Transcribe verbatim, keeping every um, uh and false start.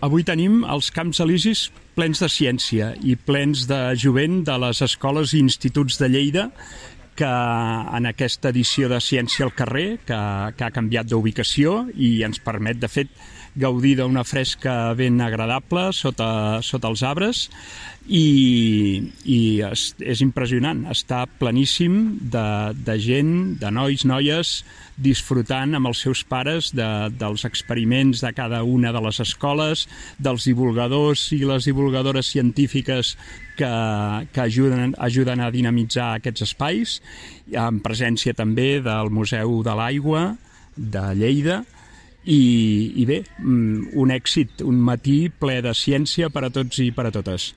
Avui tenim els Camps Elisis plens de ciència i plens de jovent de les escoles i instituts de Lleida, que en aquesta edició de Ciència al carrer, que, que ha canviat d'ubicació i ens permet, de fet, gaudir d'una fresca ben agradable sota, sota els arbres, i, i és, és impressionant, està pleníssim de, de gent, de nois, noies, disfrutant amb els seus pares de, dels experiments de cada una de les escoles, dels divulgadors i les divulgadores científiques que, que ajuden, ajuden a dinamitzar aquests espais, en presència també del Museu de l'Aigua de Lleida. I, i bé, un èxit, un matí ple de ciència per a tots i per a totes.